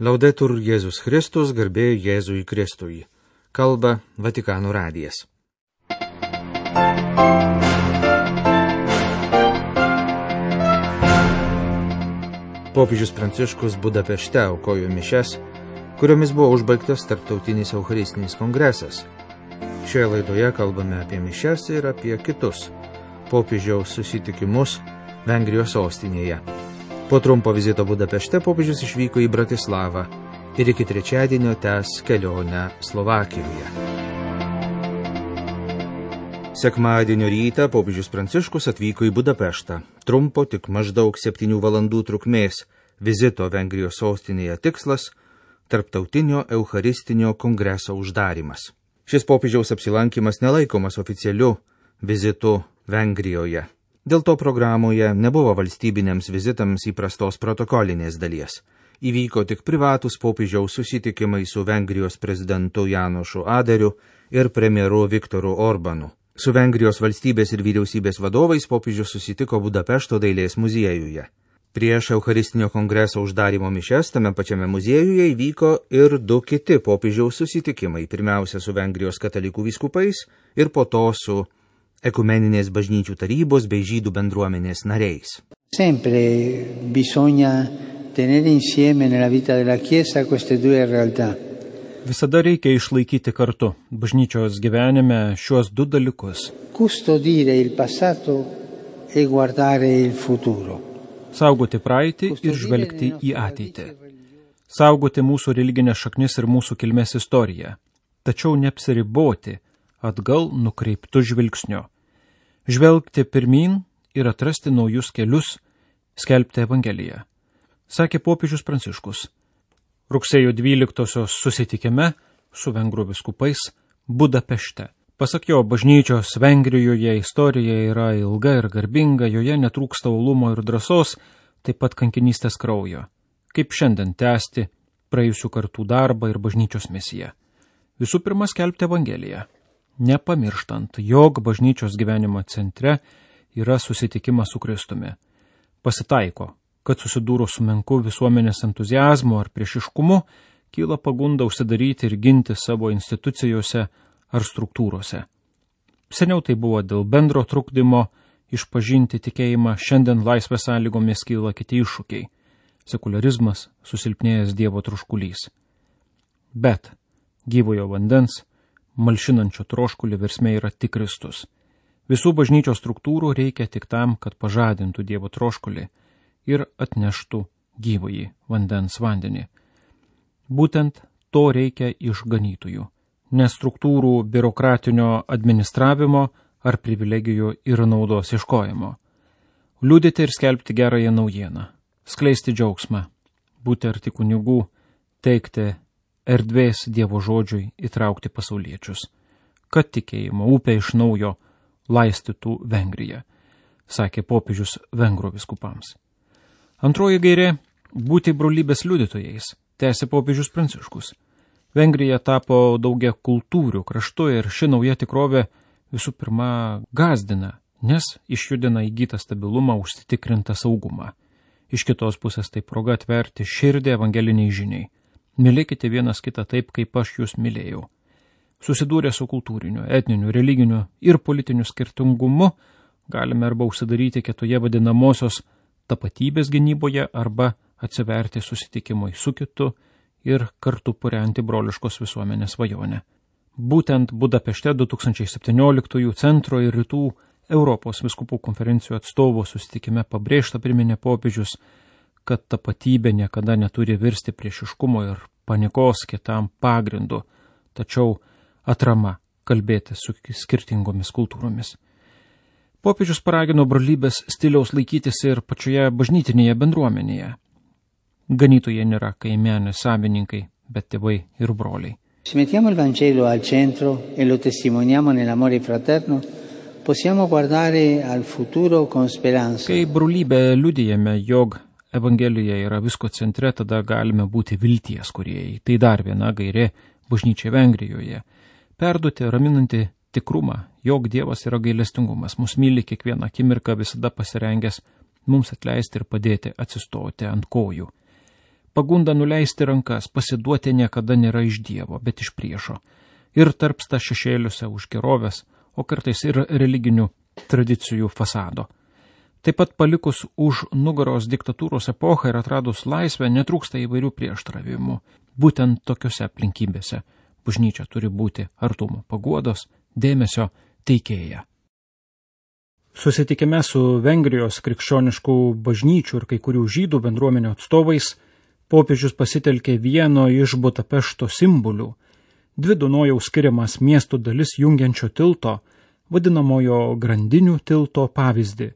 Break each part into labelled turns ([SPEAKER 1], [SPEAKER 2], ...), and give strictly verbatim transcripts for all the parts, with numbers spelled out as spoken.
[SPEAKER 1] Laudetur Jėzus Kristus, garbė Jėzui Kristui. Kalba Vatikano radijas. Popiežius Pranciškus Budapešte aukojo mišias, kuriomis buvo užbaigtas tarptautinis eucharistinis kongresas. Šioje laidoje kalbame apie mišias ir apie kitus popiežiaus susitikimus Vengrijos sostinėje. Po trumpo vizito Budapešte popiežius išvyko į Bratislavą ir iki trečiadienio tęs kelionę Slovakijoje. Sekmadienio rytą popiežius Pranciškus atvyko į Budapeštą. Trumpo tik maždaug septynių valandų trukmės vizito Vengrijos sostinėje tikslas – tarptautinio eucharistinio kongreso uždarimas. Šis popiežiaus apsilankimas nelaikomas oficialiu vizitu Vengrijoje. Dėl to programoje nebuvo valstybiniams vizitams įprastos protokolinės dalies. Įvyko tik privatus popiežiaus susitikimai su Vengrijos prezidentu Janošu Aderiu ir premjeru Viktoru Orbanu. Su Vengrijos valstybės ir vyriausybės vadovais popiežius susitiko Budapešto dailės muziejuje. Prieš Eucharistinio kongreso uždarimo mišias tame pačiame muziejuje įvyko ir du kiti popiežiaus susitikimai, pirmiausia su Vengrijos katalikų vyskupais ir po to su ekumeninės bažnyčių tarybos bei žydų bendruomenės nariais.
[SPEAKER 2] Sempre bisogna tenere insieme nella vita della Chiesa queste due realtà.
[SPEAKER 3] Visada reikia išlaikyti kartu bažnyčios gyvenime šiuos du dalykus.
[SPEAKER 2] Custodire il passato e guardare il futuro.
[SPEAKER 3] Saugoti praeitį ir žvelgti į ateitį. Saugoti mūsų religinės šaknis ir mūsų kilmės istoriją. Tačiau neapsiriboti atgal nukreiptų žvilgsnio. Žvelgti pirmyn ir atrasti naujus kelius, skelbti Evangeliją. Sakė popiežius Pranciškus. Rugsėjo dvyliktosios susitikime su vengrų vyskupais Budapešte. Pasak jo, bažnyčios Vengrijoje istorija yra ilga ir garbinga, joje netrūksta uolumo ir drąsos, taip pat kankinystės kraujo. Kaip šiandien tęsti praėjusių kartų darbą ir bažnyčios misiją. Visų pirma, skelbti Evangeliją. Nepamirštant, jog bažnyčios gyvenimo centre yra susitikimas su Kristumi. Pasitaiko, kad susidūrus su menku visuomenės entuziazmu ar priešiškumu, kyla pagunda užsidaryti ir ginti savo institucijose ar struktūrose. Seniau tai buvo dėl bendro trukdymo išpažinti tikėjimą, šiandien laisvės sąlygomis kyla kiti iššūkiai – sekularizmas, susilpnėjęs Dievo troškulys. Bet gyvojo vandens, malšinančio troškulį versmė yra tik Kristus. Visų bažnyčios struktūrų reikia tik tam, kad pažadintų Dievo troškulį ir atneštų gyvąjį vandens vandenį. Būtent to reikia iš ganytojų, ne struktūrų biurokratinio administravimo ar privilegijų ir naudos ieškojimo. Liudyti ir skelbti gerąją naujieną, skleisti džiaugsmą, būti arti kunigų, teikti erdvės Dievo žodžiui, įtraukti pasauliečius, kad tikėjimo upė iš naujo laistytų Vengriją, sakė popiežius vengrų vyskupams. Antroji gairė – būti brolybės liudytojais, tęsė popiežius Pranciškus. Vengrija tapo daugia kultūrių kraštu ir ši nauja tikrovė visų pirma gazdina, nes išjudina įgytą stabilumą, užsitikrintą saugumą. Iš kitos pusės tai proga atverti širdį evangeliniai žiniai. Mylėkite vienas kitą taip, kaip aš jūs mylėjau. Susidūrę su kultūriniu, etniniu, religiniu ir politiniu skirtingumu, galime arba užsidaryti kitoje vadinamosios tapatybės gynyboje, arba atsiverti susitikimui su kitu ir kartu purenti broliškos visuomenės svajonę. Būtent Budapešte du tūkstančiai septynioliktųjų centro ir rytų Europos vyskupų konferencijų atstovų susitikime pabrėžta priminė popiežius, kad tapatybė niekada neturi virsti priešiškumo ir panikos kitam pagrindu, tačiau atrama kalbėti su skirtingomis kultūromis. Popiežius paragino brolybės stiliaus laikytis ir pačioje bažnytinėje bendruomenėje. Ganytojai nėra kaimenės savininkai, bet tėvai ir broliai.
[SPEAKER 2] Se mettiamo il Vangelo al centro e lo testimoniamo nell'amore fraterno, possiamo guardare al futuro con speranza.
[SPEAKER 3] Kai brolybę liudijame, jog Evangelija yra visko centre, tada galime būti vilties kūrėjai. Tai dar viena gairė bažnyčiai Vengrijoje. Perduoti raminantį tikrumą, jog Dievas yra gailestingumas, mus myli kiekvieną akimirką, visada pasirengęs mums atleisti ir padėti atsistoti ant kojų. Pagunda nuleisti rankas, pasiduoti niekada nėra iš Dievo, bet iš priešo. Ir tarpsta šešėliuose už gerovės, o kartais ir religinių tradicijų fasado. Taip pat palikus už nugaros diktatūros epochą ir atradus laisvę, netrūksta įvairių prieštaravimų. Būtent tokiose aplinkybėse bažnyčia turi būti artumo, paguodos, dėmesio teikėja. Susitikime su Vengrijos krikščioniškų bažnyčių ir kai kurių žydų bendruomenių atstovais popiežius pasitelkė vieno iš Budapešto simbolių, dvi Dunojaus skiriamas miestų dalis jungiančio tilto, vadinamojo grandinių tilto pavyzdį.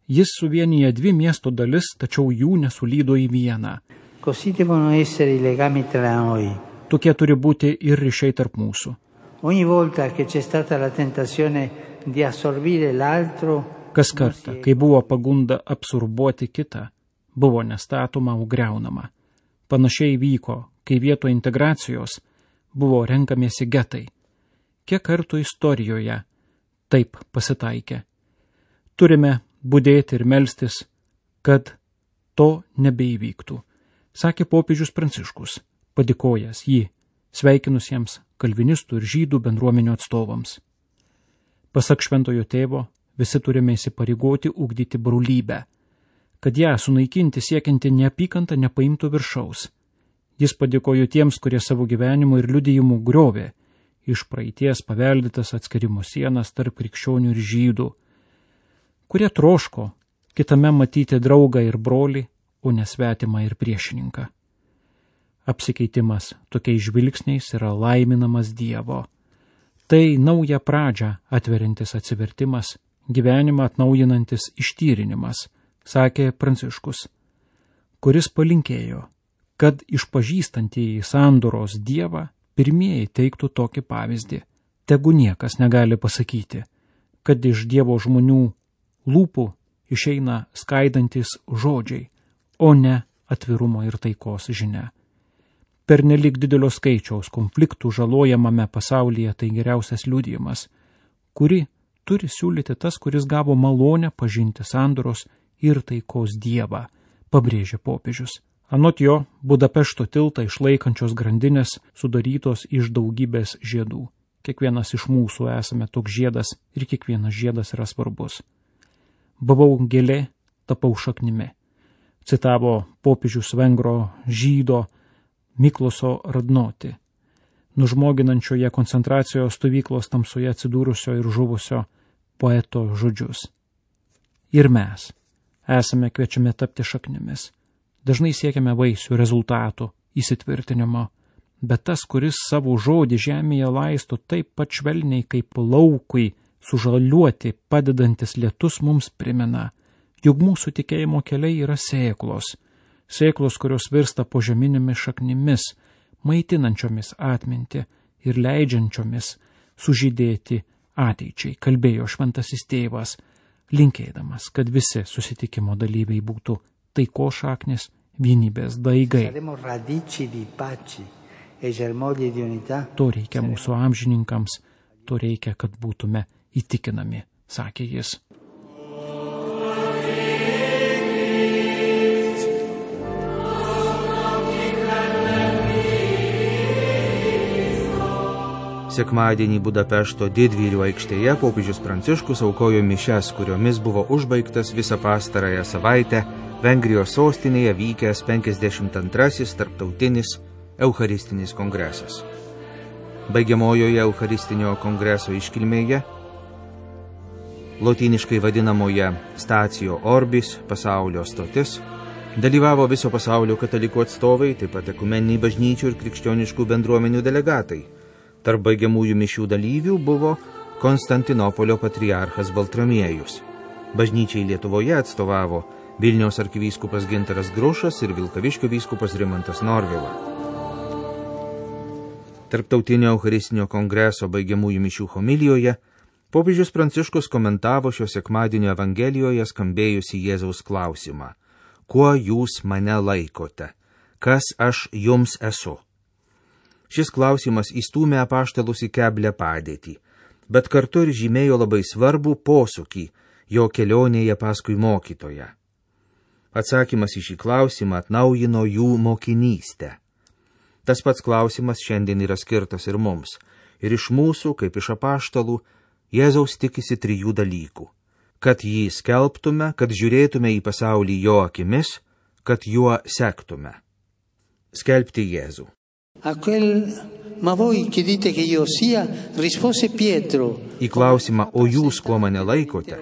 [SPEAKER 3] Jis suvienyje dvi miesto dalis, tačiau jų nesulydo į vieną.
[SPEAKER 2] Così devono essere i legami tra noi.
[SPEAKER 3] Tokie turi būti ir ryšiai tarp mūsų.
[SPEAKER 2] Ogni volta che c'è stata la tentazione di assorbire l'altro,
[SPEAKER 3] kas kartą, kai buvo pagunda absorbuoti kitą, buvo nestatoma, o griaunama. Panašiai vyko, kai vietoj integracijos buvo renkamiesi getai. Kiek kartų istorijoje taip pasitaikė. Turime budėti ir melstis, kad to nebeįvyktų, sakė popiežius Pranciškus, padėkojęs jį sveikinusiems kalvinistų ir žydų bendruomenių atstovams. Pasak šventojo tėvo, visi turime įsipareigoti ugdyti brolybę, kad ją sunaikinti siekianti neapykantą nepaimtų viršaus. Jis padėkojo tiems, kurie savo gyvenimu ir liudijimu griovė iš praeities paveldėtas atskirimo sienas tarp krikščionių ir žydų, kurie troško kitame matyti draugą ir brolį, o nesvetimą ir priešininką. Apsikeitimas tokiais žvilgsniais yra laiminamas Dievo. Tai naują pradžią atverintis atsivertimas, gyvenimą atnaujinantis ištyrinimas, sakė Pranciškus, kuris palinkėjo, kad išpažįstantieji sandoros Dievą pirmieji teiktų tokį pavyzdį. Tegu niekas negali pasakyti, kad iš Dievo žmonių lūpų išeina skaidantis žodžiai, o ne atvirumo ir taikos žinia. Pernelik didelio skaičiaus konfliktų žalojamame pasaulyje tai geriausias liudijimas, kuri turi siūlyti tas, kuris gavo malonę pažinti sandoros ir taikos Dievą, pabrėžė popiežius. Anot jo, Budapešto tiltą išlaikančios grandinės sudarytos iš daugybės žiedų. Kiekvienas iš mūsų esame toks žiedas ir kiekvienas žiedas yra svarbus. Buvau gėlė, tapau šaknimi, citavo popiežius vengro žydo Mikloso Radnoti, nužmoginančioje koncentracijos stovyklos tamsoje atsidūrusio ir žuvusio poeto žodžius. Ir mes esame kviečiami tapti šaknimis. Dažnai siekiame vaisių, rezultatų, įsitvirtinimo, bet tas, kuris savo žodį žemėje laisto taip pat švelniai kaip laukui sužaliuoti padedantis lietus, mums primena, jog mūsų tikėjimo keliai yra sėklos, sėklos, kurios virsta požeminėmis šaknimis, maitinančiomis atmintį ir leidžiančiomis sužydėti ateičiai, kalbėjo šventasis tėvas, linkėdamas, kad visi susitikimo dalyviai būtų taiko šaknis, vienybės daigai. To reikia mūsų amžininkams, to reikia, kad būtume įtikinami, sakė jis.
[SPEAKER 1] Sekmadienį Budapešto didvyrių aikštėje popiežius Pranciškus aukojo mišias, kuriomis buvo užbaigtas visą pastarąją savaitę Vengrijos sostinėje vykęs penkiasdešimt antrasis tarptautinis Eucharistinis kongresas. Baigiamojoje Eucharistinio kongreso iškilmėje, lotyniškai vadinamoje Stacio Orbis, pasaulio stotis, dalyvavo viso pasaulio katalikų atstovai, taip pat ekumeniniai bažnyčių ir krikščioniškų bendruomenių delegatai. Tarp baigiamųjų mišių dalyvių buvo Konstantinopolio patriarchas Baltramiejus. Bažnyčiai Lietuvoje atstovavo Vilniaus arkivyskupas Gintaras Grušas ir Vilkaviškio vyskupas Rimantas Norvila. Tarptautinio Eucharistinio kongreso baigiamųjų mišių homilijoje popiežius Pranciškus komentavo šio sekmadienio Evangelijoje skambėjusi Jėzaus klausimą: kuo jūs mane laikote? Kas aš jums esu? Šis klausimas įstūmė apaštalus į keblią padėtį, bet kartu ir žymėjo labai svarbų posūkį jo kelionėje paskui mokytoją. Atsakymas į šį klausimą atnaujino jų mokinystę. Tas pats klausimas šiandien yra skirtas ir mums. Ir iš mūsų, kaip iš apaštalų, Jėzaus tikisi trijų dalykų. Kad jį skelbtume, kad žiūrėtume į pasaulį jo akimis, kad juo sektume. Skelbti Jėzų.
[SPEAKER 2] A quel, ma voi che dite che io sia, rispose Pietro.
[SPEAKER 1] Į klausimą, o jūs kuo mane laikote?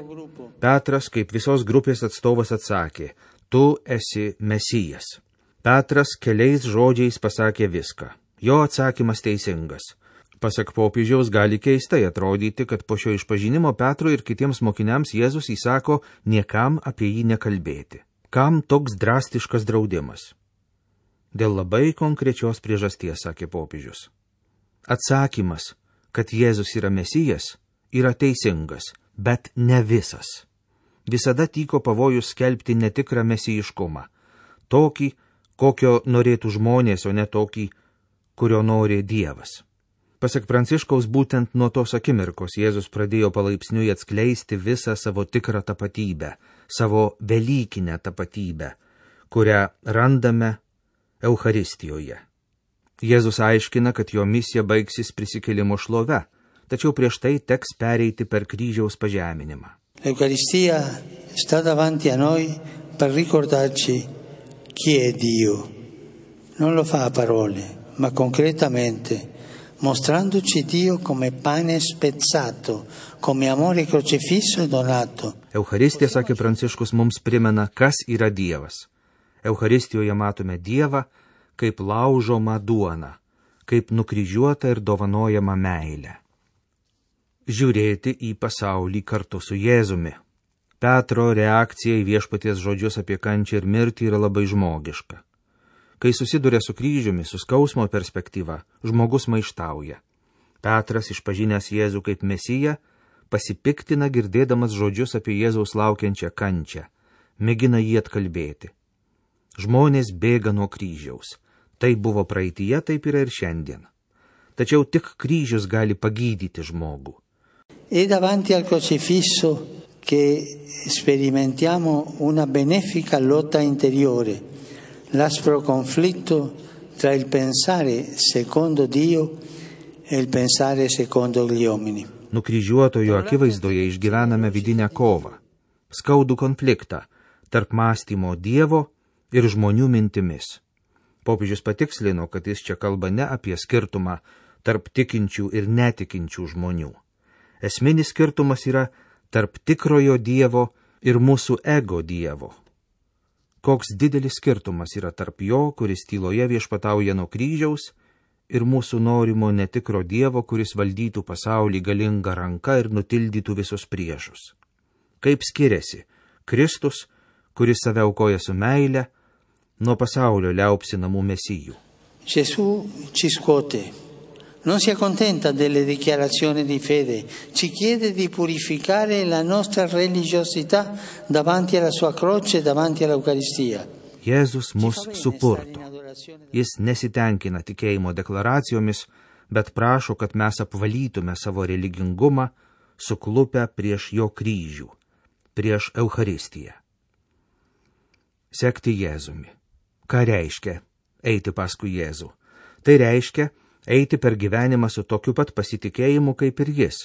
[SPEAKER 1] Petras, kaip visos grupės atstovas, atsakė, tu esi Mesijas. Petras keliais žodžiais pasakė viską. Jo atsakymas teisingas. Pasak popiežiaus gali keistai atrodyti, kad po šio išpažinimo Petrui ir kitiems mokiniams Jėzus įsako niekam apie jį nekalbėti. Kam toks drastiškas draudimas? Dėl labai konkrečios priežasties, sakė popiežius. Atsakymas, kad Jėzus yra Mesijas, yra teisingas, bet ne visas. Visada tyko pavojus skelbti netikrą mesijiškumą. Tokį, kokio norėtų žmonės, o ne tokį, kurio nori Dievas. Pasak Pranciškaus, būtent nuo tos akimirkos Jėzus pradėjo palaipsniui atskleisti visą savo tikrą tapatybę, savo velykinę tapatybę, kurią randame Eucharistijoje. Jėzus aiškina, kad jo misija baigsis prisikėlimo šlove, tačiau prieš tai teks pereiti per kryžiaus pažeminimą.
[SPEAKER 2] L'Eucaristia sta davanti a noi per ricordarci chi è Dio. Non lo fa a parole, ma concretamente, mostrandoci Dio come pane spezzato, come amore crocifisso e donato.
[SPEAKER 1] Eucharistija, sakė Pranciškus, mums primena, kas yra Dievas. Eucharistijoje matome Dievą kaip laužomą duoną, kaip nukryžiuotą ir dovanojamą meilę. Žiūrėti į pasaulį kartu su Jėzumi. Petro reakcija į viešpaties žodžius apie kančią ir mirtį yra labai žmogiška. Kai susiduria su kryžiumi, su skausmo perspektyva, žmogus maištauja. Petras, išpažinęs Jėzų kaip Mesiją, pasipiktina girdėdamas žodžius apie Jėzaus laukiančią kančią, mėgina jį atkalbėti. Žmonės bėga nuo kryžiaus. Tai buvo praeityje, taip yra ir šiandien. Tačiau tik kryžius gali pagydyti žmogų.
[SPEAKER 2] È davanti al crocifisso che sperimentiamo una benefica lotta interiore, l'aspro conflitto tra il pensare secondo Dio e il pensare secondo gli uomini.
[SPEAKER 1] Nukryžiuotojo akivaizdoje išgyvename vidinę kovą, skaudų konfliktą tarp mąstymo Dievo ir žmonių mintimis. Popiežius patikslino, kad jis čia kalba ne apie skirtumą tarp tikinčių ir netikinčių žmonių. Esminis skirtumas yra tarp tikrojo Dievo ir mūsų ego Dievo. Koks didelis skirtumas yra tarp jo, kuris tyloje viešpatauja nuo kryžiaus, ir mūsų norimo netikro Dievo, kuris valdytų pasaulį galingą ranką ir nutildytų visus priešus. Kaip skiriasi Kristus, kuris save aukoja su meile, nuo pasaulio liaupsinamų mesijų.
[SPEAKER 2] Gesù ci scuote. Non si accontenta delle dichiarazioni di fede, ci chiede di purificare la nostra religiosità davanti alla sua croce, davanti all'Eucaristia.
[SPEAKER 1] Jėzus mus supurto. Jis nesitenkina tikėjimo deklaracijomis, bet prašo, kad mes apvalytume savo religingumą, suklupę prieš jo kryžių, prieš Eucharistiją. Sekti Jėzumi. Ką reiškia eiti paskui Jėzų? Tai reiškia eiti per gyvenimą su tokiu pat pasitikėjimu kaip ir jis,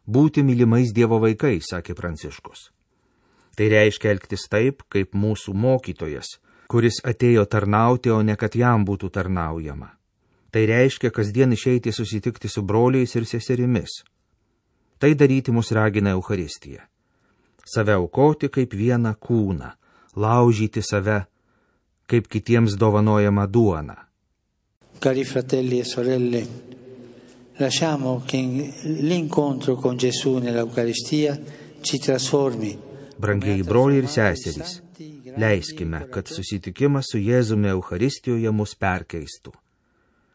[SPEAKER 1] būti mylimais Dievo vaikais, sakė Pranciškus. Tai reiškia elgtis taip, kaip mūsų mokytojas, kuris atėjo tarnauti, o ne kad jam būtų tarnaujama. Tai reiškia kasdien išeiti susitikti su broliais ir seserimis. Tai daryti mus ragina Eucharistija. Save aukoti kaip vieną kūną, laužyti save kaip kitiems dovanojama duona.
[SPEAKER 2] Cari fratelli e sorelle, lasciamo che l'incontro con Gesù nell'Eucaristia ci trasformi.
[SPEAKER 1] Brangieji broliai ir seserys, leiskime, kad susitikimas su Jėzumi Eucharistijoje mus perkeistų,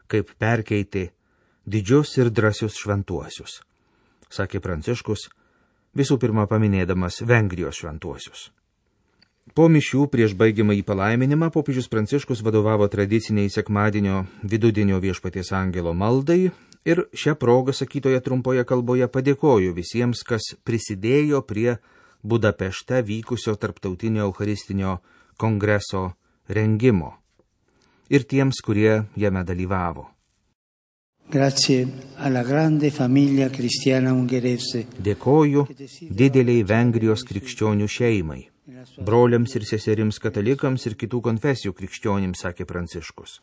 [SPEAKER 1] kaip perkeitė didžius ir drąsius šventuosius, sakė Pranciškus, visų pirma paminėdamas Vengrijos šventuosius. Po mišių prieš baigiamąjį palaiminimą popiežius Pranciškus vadovavo tradiciniai sekmadienio vidudienio viešpaties angelo maldai ir šią progą sakytoje trumpoje kalboje padėkojo visiems, kas prisidėjo prie Budapešte vykusio tarptautinio eucharistinio kongreso rengimo ir tiems, kurie jame dalyvavo.
[SPEAKER 2] Grazie alla grande famiglia cristiana ungherese.
[SPEAKER 1] Dėkoju dideliai Vengrijos krikščionių šeimai, broliams ir seserims katalikams ir kitų konfesijų krikščionims, sakė Pranciškus.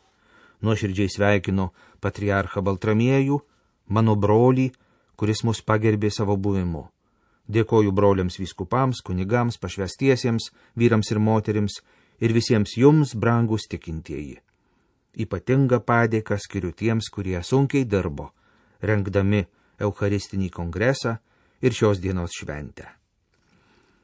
[SPEAKER 1] Nuoširdžiai sveikinu patriarchą Baltramiejų, mano brolį, kuris mus pagerbė savo buvimu. Dėkoju broliams vyskupams, kunigams, pašvestiesiems, vyrams ir moterims ir visiems jums, brangūs tikintieji. Ypatingą padėką skiriu tiems, kurie sunkiai dirbo, rengdami Eucharistinį kongresą ir šios dienos šventę.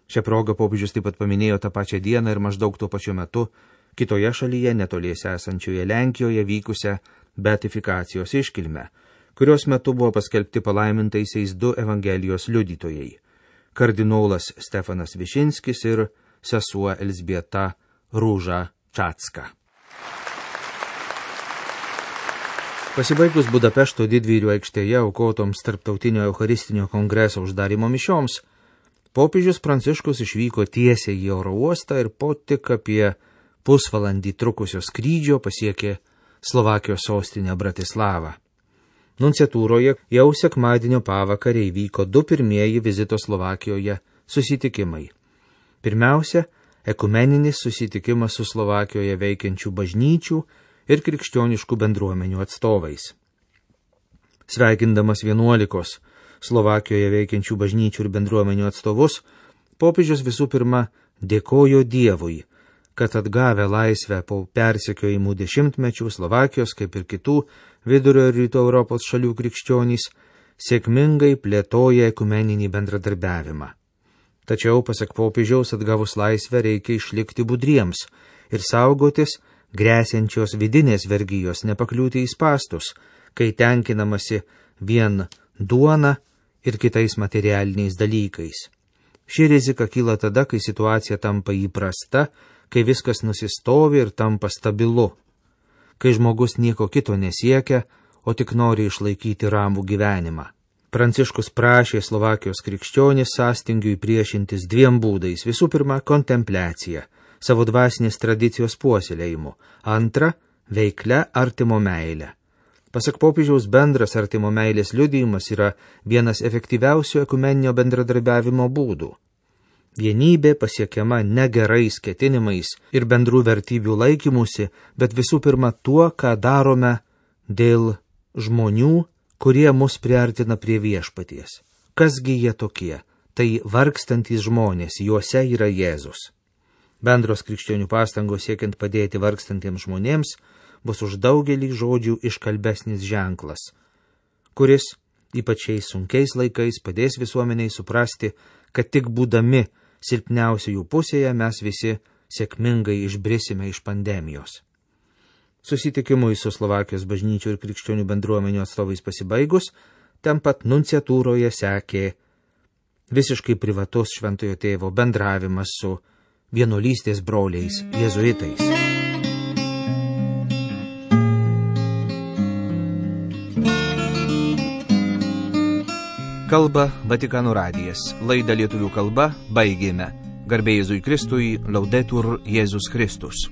[SPEAKER 1] Šią progą popiežius taip pat paminėjo tą pačią dieną ir maždaug tuo pačiu metu kitoje šalyje, netoliese esančioje Lenkijoje, vykusią beatifikacijos iškilmę, kurios metu buvo paskelbti palaimintaisiais du Evangelijos liudytojai – kardinolas Stefanas Višinskis ir sesuo Elzbieta Rūža Čatska. Pasibaigus Budapešto didvyrių aikštėje aukotoms tarptautinio Eucharistinio kongreso uždarimo mišioms, popiežius Pranciškus išvyko tiesiai į oro uostą ir po tik apie pusvalandį trukusio skrydžio pasiekė Slovakijos sostinę Bratislavą. Nunciatūroje jau sekmadienio pavakarę įvyko du pirmieji vizito Slovakijoje susitikimai. Pirmiausia, ekumeninis susitikimas su Slovakijoje veikiančių bažnyčių ir krikščioniškų bendruomenių atstovais. Sveikindamas vienuolikos Slovakijoje veikiančių bažnyčių ir bendruomenių atstovus, popiežius visų pirma dėkojo Dievui, kad atgavę laisvę po persekiojimų dešimtmečių Slovakijos, kaip ir kitų vidurio ir rytų Europos šalių krikščionys, sėkmingai plėtoja ekumeninį bendradarbiavimą. Tačiau, pasak popiežiaus, atgavus laisvę reikia išlikti budriems ir saugotis grėsiančios vidinės vergijos, nepakliūti į spastus, kai tenkinamasi vien duona ir kitais materialiniais dalykais. Ši rizika kyla tada, kai situacija tampa įprasta, kai viskas nusistovi ir tampa stabilu, kai žmogus nieko kito nesiekia, o tik nori išlaikyti ramų gyvenimą. Pranciškus prašė Slovakijos krikščionis sąstingiui priešintis dviem būdais. Visų pirma, kontempliacija, savo dvasinės tradicijos puoselėjimu. Antra, veiklia artimo meilė. Pasak popiežiaus, bendras artimo meilės liudijimas yra vienas efektyviausių ekumeninio bendradarbiavimo būdų. Vienybė pasiekiama ne gerais ketinimais ir bendrų vertybių laikymusi, bet visų pirma tuo, ką darome dėl žmonių, kurie mus priartina prie viešpaties. Kasgi jie tokie? Tai vargstantys žmonės, juose yra Jėzus. Bendros krikščionių pastangos siekiant padėti vargstantiems žmonėms bus už daugelį žodžių iškalbesnis ženklas, kuris, ypač šiais sunkiais laikais, padės visuomeniai suprasti, kad tik būdami silpniausiųjų pusėje mes visi sėkmingai išbrisime iš pandemijos. Susitikimui su Slovakijos bažnyčių ir krikščionių bendruomenių atstovais pasibaigus, ten pat nunciatūroje sekė visiškai privatus šventojo tėvo bendravimas su vienuolystės broliais jėzuitais. Kalba Vatikano radijas. Laidą lietuvių kalba baigėme. Garbė Jėzui Kristui, Laudetur Jėzus Kristus.